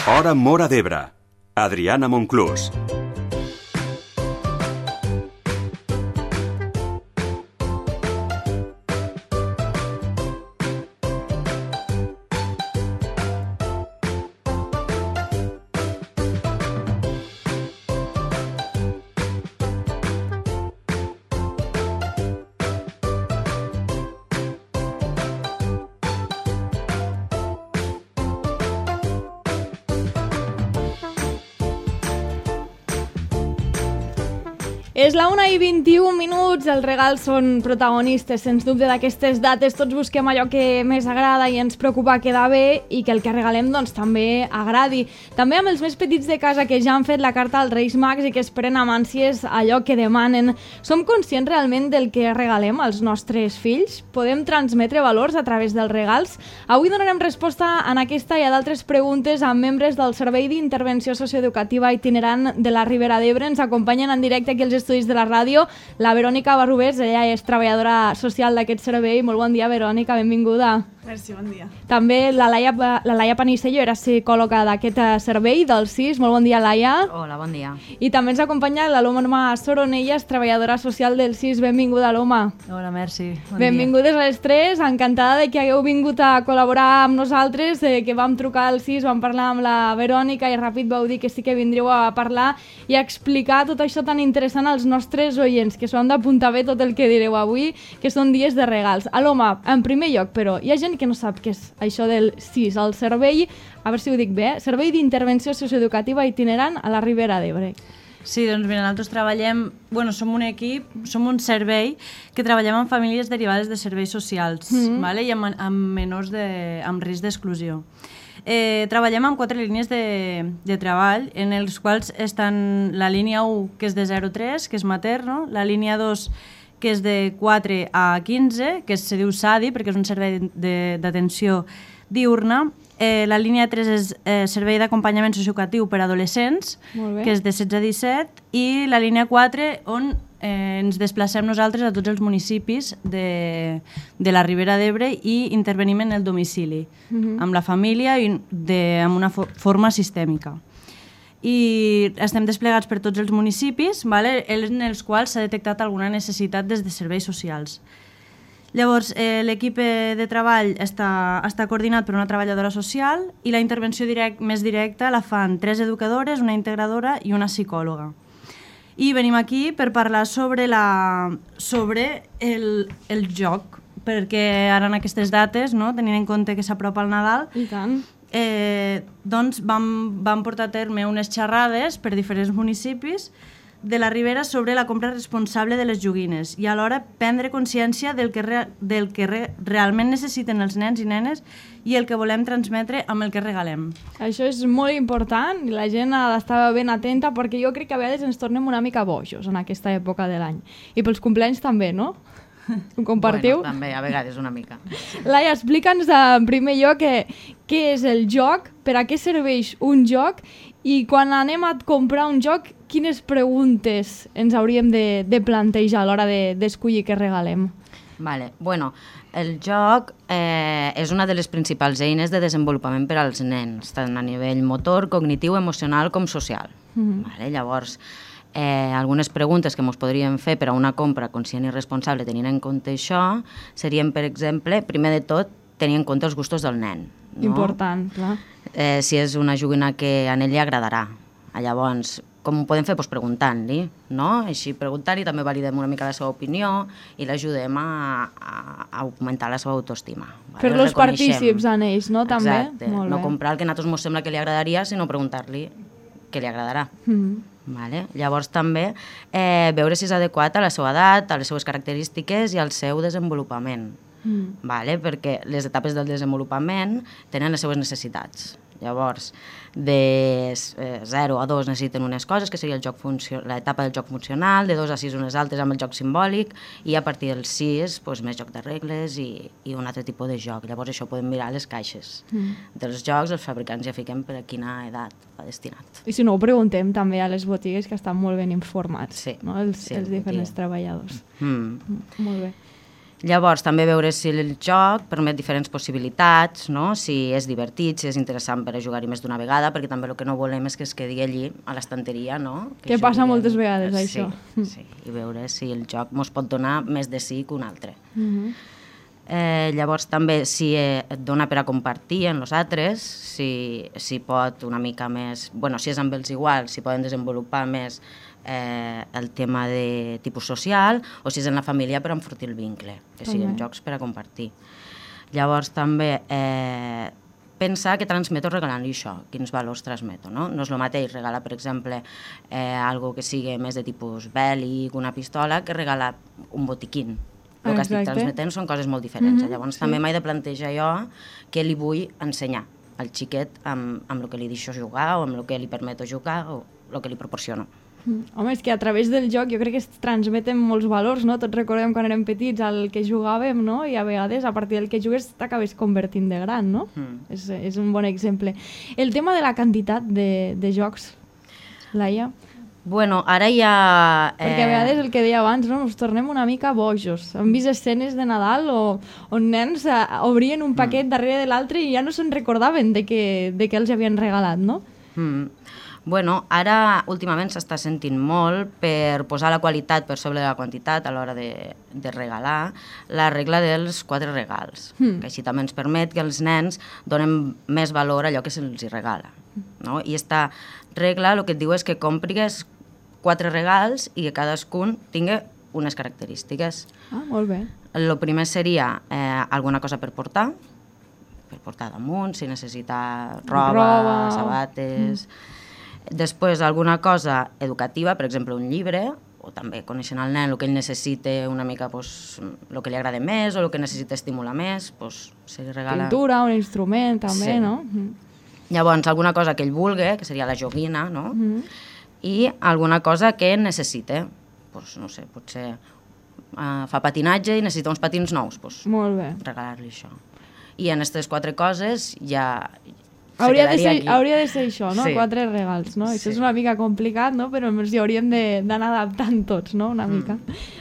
Hora Móra d'Ebre. Adriana Monclús. És la 1:21, els regals són protagonistes, sens dubte, d'aquestes dates. Tots busquem allò que més agrada i ens preocupa quedar bé i que el que regalem doncs, també agradi. També amb els més petits de casa que ja han fet la carta als Reis Mags i que esperen amb ànsies allò que demanen. Som conscients realment del que regalem als nostres fills? Podem transmetre valors a través dels regals? Avui donarem resposta en aquesta i a d'altres preguntes amb membres del Servei d'Intervenció Socioeducativa Itinerant de la Ribera d'Ebre. Ens acompanyen en directe aquí els estudis de la ràdio la Verònica Barrubés, ella és treballadora social d'aquest servei. Molt bon dia, Verònica, benvinguda. Merci, bon dia. També la Laia Panicello era psicòloga d'aquest servei del CIS. Molt bon dia, Laia. Hola, bon dia. I també ens acompanya l'Aloma Soronelles, treballadora social del CIS. Benvinguda, Aloma. Hola, merci. Bon Benvingudes a les tres. Encantada de que hagueu vingut a col·laborar amb nosaltres, que vam trucar al CIS, vam parlar amb la Verònica i ràpid vau dir que sí que vindríeu a parlar i a explicar tot això tan interessant als nostres oients, que s'ho han d'apuntar bé tot el que direu avui, que són dies de regals. Aloma, en primer lloc, però, hi ha gent que no sap què és això del CIS, el servei, a veure si ho dic bé, Servei d'Intervenció Socioeducativa Itinerant a la Ribera d'Ebre. Sí, doncs mira, nosaltres treballem, som un equip, som un servei que treballem amb famílies derivades de serveis socials, vale? I amb menors amb risc d'exclusió. Treballem amb 4 línies de treball, en els quals estan la línia 1, que és de 0 a 3, que és materno, la línia 2, que és de 4 a 15, que se diu SADI, perquè és un servei d'atenció diurna. La línia 3 és servei d'acompanyament socioeducatiu per a adolescents, que és de 16 a 17, i la línia 4, on ens desplacem nosaltres a tots els municipis de la Ribera d'Ebre i intervenim en el domicili, amb la família i amb una forma sistèmica. I estem desplegats per tots els municipis, en els quals s'ha detectat alguna necessitat des de serveis socials. Llavors, l'equip de treball està coordinat per una treballadora social i la intervenció més directa la fan 3 educadores, una integradora i una psicòloga. I venim aquí per parlar sobre el joc, perquè ara en aquestes dates, tenint en compte que s'apropa el Nadal, I tant. Doncs vam portar a terme unes xerrades per diferents municipis de la Ribera sobre la compra responsable de les joguines i alhora prendre consciència del que realment necessiten els nens i nenes i el que volem transmetre amb el que regalem. Això és molt important i la gent ha d'estar ben atenta perquè jo crec que a vegades ens tornem una mica bojos en aquesta època de l'any. I pels companys també, no? Ho compartiu? Bueno, també, a vegades una mica. Laia, explica'ns en primer lloc què és el joc, per a què serveix un joc i quan anem a comprar un joc, quines preguntes ens hauríem de plantejar a l'hora d'escollir què regalem? Vale. Bueno, el joc és una de les principals eines de desenvolupament per als nens, tant a nivell motor, cognitiu, emocional com social. Vale? Llavors, algunes preguntes que ens podríem fer per a una compra conscient i responsable tenint en compte això serien, per exemple, primer de tot, tenir en compte els gustos del nen. No? Important, clar. Si és una joguina que a ell li agradarà. Llavors, com ho podem fer? Doncs preguntant-li, no? Així preguntant-li també validem una mica la seva opinió i l'ajudem a augmentar la seva autoestima. Fer-los partícips en ells, no? També? Exacte. No comprar el que a nosaltres ens sembla que li agradaria, sinó preguntar-li què li agradarà. Vale? Llavors també veure si és adequat a la seva edat, a les seves característiques i al seu desenvolupament. Vale? Perquè les etapes del desenvolupament tenen les seves necessitats. Llavors, de 0 a 2 necessiten unes coses, que seria l'etapa del joc funcional, de 2 a 6 unes altres amb el joc simbòlic, i a partir del 6 doncs, més joc de regles i un altre tipus de joc. Llavors això podem mirar les caixes dels jocs, els fabricants ja fiquem per a quina edat va destinat. I si no, ho preguntem també a les botigues, que estan molt ben informats, sí, no? Els diferents treballadors. Molt bé. Llavors, també veure si el joc permet diferents possibilitats, no? Si és divertit, si és interessant per a jugar-hi més d'una vegada, perquè també el que no volem és que es quedi allí a l'estanteria, no? Que passa moltes vegades, això. Sí, i veure si el joc mos pot donar més de sí que un altre. Llavors també si et dona per a compartir amb els altres, si pot una mica més, bueno, si és amb els iguals, si poden desenvolupar més el tema de tipus social, o si és en la família per enfortir el vincle, que siguin jocs per a compartir. Llavors també pensar que transmeto regalant-li això, quins valors transmeto, no? No és el mateix regalar, per exemple, algo que sigui més de tipus bèl·lic, una pistola, que regalar un botiquín. El que estic transmetent són coses molt diferents. Llavors també m'he de plantejar jo què li vull ensenyar al xiquet amb el que li deixo jugar o amb el que li permeto jugar o el que li proporciono. Home, és que a través del joc jo crec que es transmeten molts valors, no? Tots recordem quan érem petits el que jugàvem, no? I a vegades a partir del que jugues t'acabes convertint de gran, no? És un bon exemple. El tema de la quantitat de jocs, Laia? Bueno, ara ja... Perquè a vegades el que deia abans, no? Ens tornem una mica bojos. Hem vist escenes de Nadal on nens obrien un paquet darrere de l'altre i ja no se'n recordaven de què els havien regalat, no? Bueno, ara últimament s'està sentint molt per posar la qualitat per sobre de la quantitat a l'hora de regalar la regla dels 4 regals, que així també ens permet que els nens donen més valor a allò que se'ls regala. No? I aquesta regla el que et diu és que comprigues 4 regals i que cadascun tingui unes característiques. Molt bé. El primer seria alguna cosa per portar damunt, si necessita roba. Sabates... Després, alguna cosa educativa, per exemple, un llibre, o també coneixent el nen el que ell necessita una mica, el que li agrada més o el que necessita estimular més, se li regala... Pintura, un instrument, també, no? Llavors, alguna cosa que ell vulgui, que seria la joguina, no? I alguna cosa que necessita. No sé, potser fa patinatge i necessita uns patins nous, molt bé. Regalar-li això. I en aquestes 4 coses ja... Hauria de ser això, no? 4 regals, no? Això és una mica complicat, no? Però ens hi hauríem d'anar adaptant tots, no? Una mica.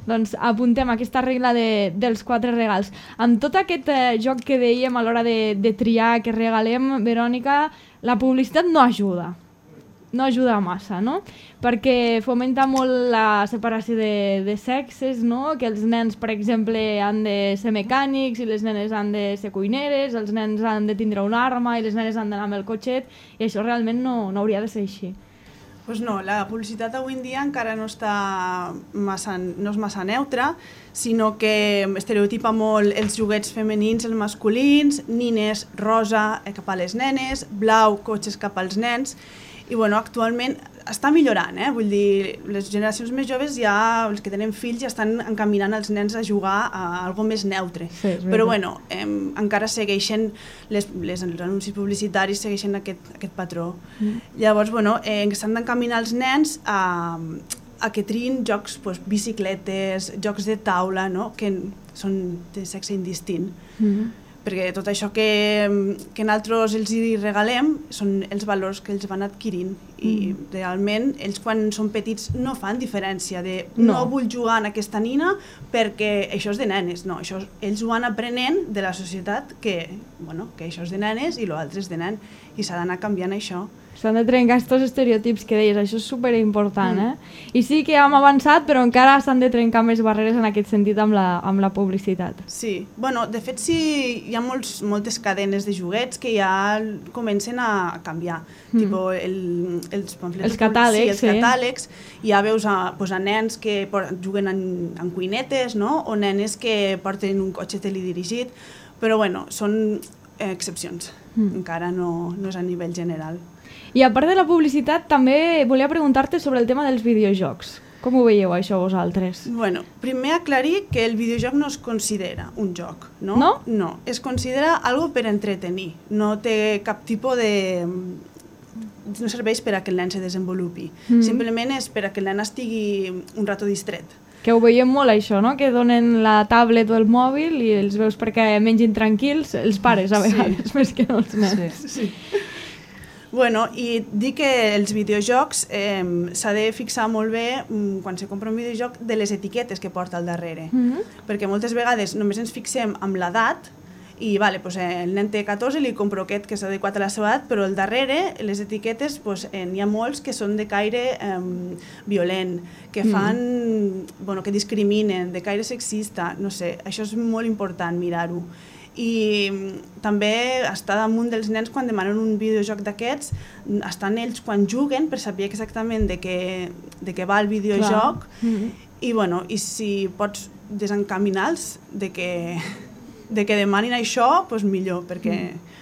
Doncs apuntem aquesta regla dels 4 regals. Amb tot aquest joc que dèiem a l'hora de triar que regalem, Verònica, la publicitat no ajuda. No ajuda massa, no? Perquè fomenta molt la separació de sexes, no? Que els nens, per exemple, han de ser mecànics i les nenes han de ser cuineres, els nens han de tindre una arma i les nenes han d'anar amb el cotxet, i això realment no hauria de ser així. Doncs no, la publicitat avui en dia encara no és massa neutra, sinó que estereotipa molt els joguets femenins, els masculins, nines rosa cap a les nenes, blau, cotxes cap als nens. I bueno, actualment està millorant, vull dir, les generacions més joves ja, els que tenen fills, ja estan encaminant els nens a jugar a algo més neutre. Sí, però bueno, encara segueixen, els anuncis publicitaris segueixen aquest patró. Llavors, bueno, s'han d'encaminar els nens a que triïn jocs, bicicletes, jocs de taula, no? Que són de sexe indistint. Perquè tot això que nosaltres els regalem són els valors que ells van adquirint i realment ells quan són petits no fan diferència de no vull jugar en aquesta nina perquè això és de nenes, no, ells ho van aprenent de la societat que això és de nenes i l'altre és de nen i s'ha d'anar canviant això. S'han de trencar aquests estereotips que deies, això és superimportant, I sí que hem avançat, però encara s'han de trencar més barreres en aquest sentit amb la publicitat. Sí, bueno, de fet sí, hi ha moltes cadenes de joguets que ja comencen a canviar, tipus els catàlegs, ja veus a nens que juguen en cuinetes, no? O nenes que porten un cotxe teledirigit, però bueno, són excepcions, encara no és a nivell general. I a part de la publicitat, també volia preguntar-te sobre el tema dels videojocs. Com ho veieu, això, vosaltres? Bueno, primer aclarir que el videojoc no es considera un joc, no? No? No, es considera algo per entretenir. No té cap tipus de... No serveix per a que el nen se desenvolupi. Simplement és per a que el nen estigui un rato distret. Que ho veiem molt, això, no? Que donen la tablet o el mòbil i els veus perquè mengin tranquils els pares, a vegades, més que no els nens. Sí. Bueno, i dic que els videojocs s'ha de fixar molt bé quan se compra un videojoc de les etiquetes que porta al darrere. Perquè moltes vegades només ens fixem amb l'edat i vale, pues, el nen té 14 i li compro aquest que és adequat a la seva edat, però al darrere les etiquetes pues, n'hi ha molts que són de caire violent, que fan, bueno, que discriminen, de caire sexista, no sé, això és molt important mirar-ho. I també està damunt dels nens quan demanen un videojoc d'aquests, estan ells quan juguen per saber exactament de què va el videojoc i, bueno, i si pots desencaminar-los de que demanin això, doncs millor, perquè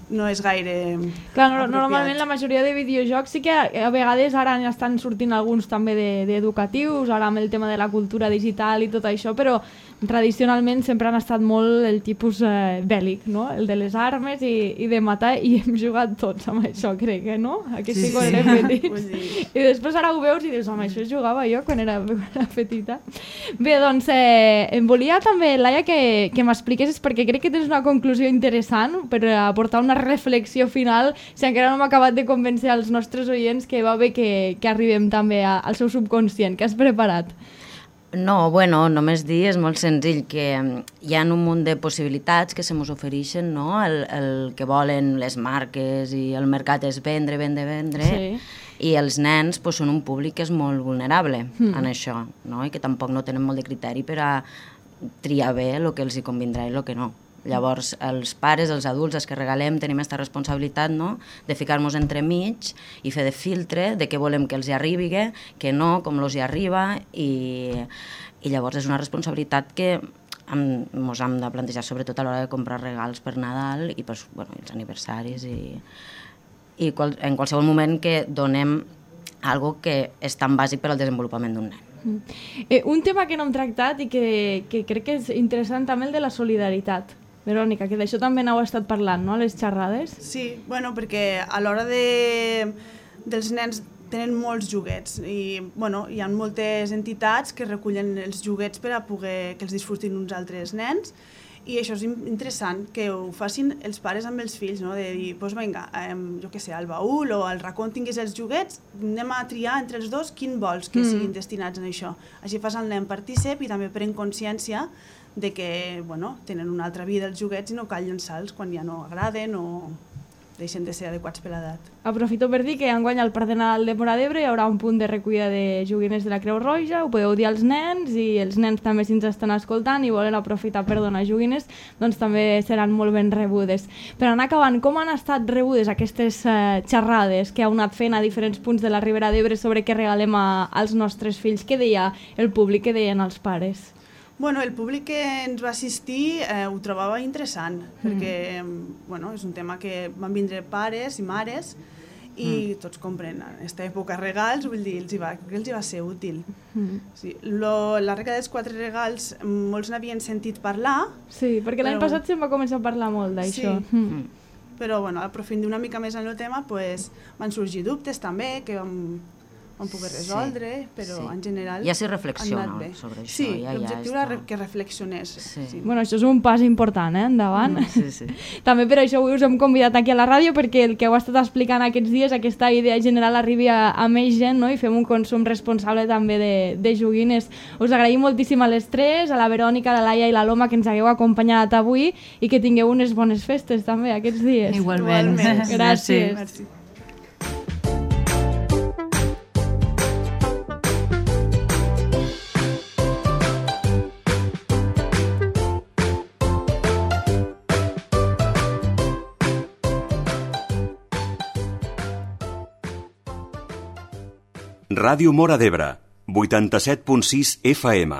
no és gaire Clar, apropiat. normalment la majoria de videojocs sí que a vegades ara estan sortint alguns també d'educatius, ara amb el tema de la cultura digital i tot això, però tradicionalment sempre han estat molt el tipus bèl·lic, no? El de les armes i de matar, i hem jugat tots amb això, crec, no? Aquí sí, quan érem petits. I després ara ho veus i dius, home, això jugava jo quan era petita. Bé, doncs, em volia també, Laia, que m'expliquessis, perquè crec que tens una conclusió interessant per aportar una reflexió final, si encara no m'ha acabat de convèncer als nostres oients que va bé que arribem també al seu subconscient. Què has preparat? No, bueno, només dir, és molt senzill, que hi ha un munt de possibilitats que se mos ofereixen, no? El que volen les marques i el mercat és vendre, Sí. I els nens pues, són un públic que és molt vulnerable en això, no? I que tampoc no tenen molt de criteri per a triar bé el que els hi convindrà i el que no. Llavors, els pares, els adults, els que regalem, tenim aquesta responsabilitat, no?, de ficar-nos entremig i fer de filtre de què volem que els hi arribi, que no, com els hi arriba, i llavors és una responsabilitat que ens hem de plantejar sobretot a l'hora de comprar regals per Nadal i per, bueno, els aniversaris i en qualsevol moment que donem algo que és tan bàsic per al desenvolupament d'un nen. Un tema que no hem tractat i que crec que és interessant també, el de la solidaritat. Verònica, que d'això també n'heu estat parlant, no?, a les xerrades? Sí, bueno, perquè a l'hora dels nens tenen molts joguets i, bueno, hi ha moltes entitats que recullen els joguets per a poder que els disfrutin uns altres nens, i això és interessant, que ho facin els pares amb els fills, no?, de dir, doncs vinga, jo què sé, al baúl o al racó on tinguis els joguets, anem a triar entre els dos quin vols que siguin destinats a això. Així fas el nen partícip i també pren consciència de que, bueno, tenen una altra vida els joguets i no cal llançar-los quan ja no agraden o deixen de ser adequats per l'edat. Aprofito per dir que enguany al Parc de Nadal de Móra d'Ebre hi haurà un punt de recollida de joguines de la Creu Roja, ho podeu dir als nens, i els nens també, si ens estan escoltant i volen aprofitar per donar joguines, doncs també seran molt ben rebudes. Per anar acabant, com han estat rebudes aquestes xerrades que heu anat fent a diferents punts de la Ribera d'Ebre sobre què regalem als nostres fills? Què deia el públic, què deien els pares? Bueno, el públic que ens va assistir ho trobava interessant, perquè, bueno, és un tema que van vindre pares i mares i tots compren en aquesta època regals, vull dir, crec que els hi va ser útil. Sí. La regla dels 4 regals, molts n'havien sentit parlar. Sí, perquè l'any passat se'n va començar a parlar molt d'això. Sí, però, bueno, aprofundir una mica més en el tema, van sorgir dubtes també, que vam poder resoldre, però en general ja s'hi reflexiona sobre això. Sí, l'objectiu era que reflexionés. Bueno, això és un pas important, endavant. Sí. També per això avui us hem convidat aquí a la ràdio, perquè el que heu estat explicant aquests dies, aquesta idea general arribi a més gent, no?, i fem un consum responsable també de joguines. Us agraïm moltíssim a les tres, a la Verònica, a la Laia i la Loma, que ens hagueu acompanyat avui, i que tingueu unes bones festes també aquests dies. Igualment. Gràcies. Merci. Ràdio Móra d'Ebre, 87.6 FM.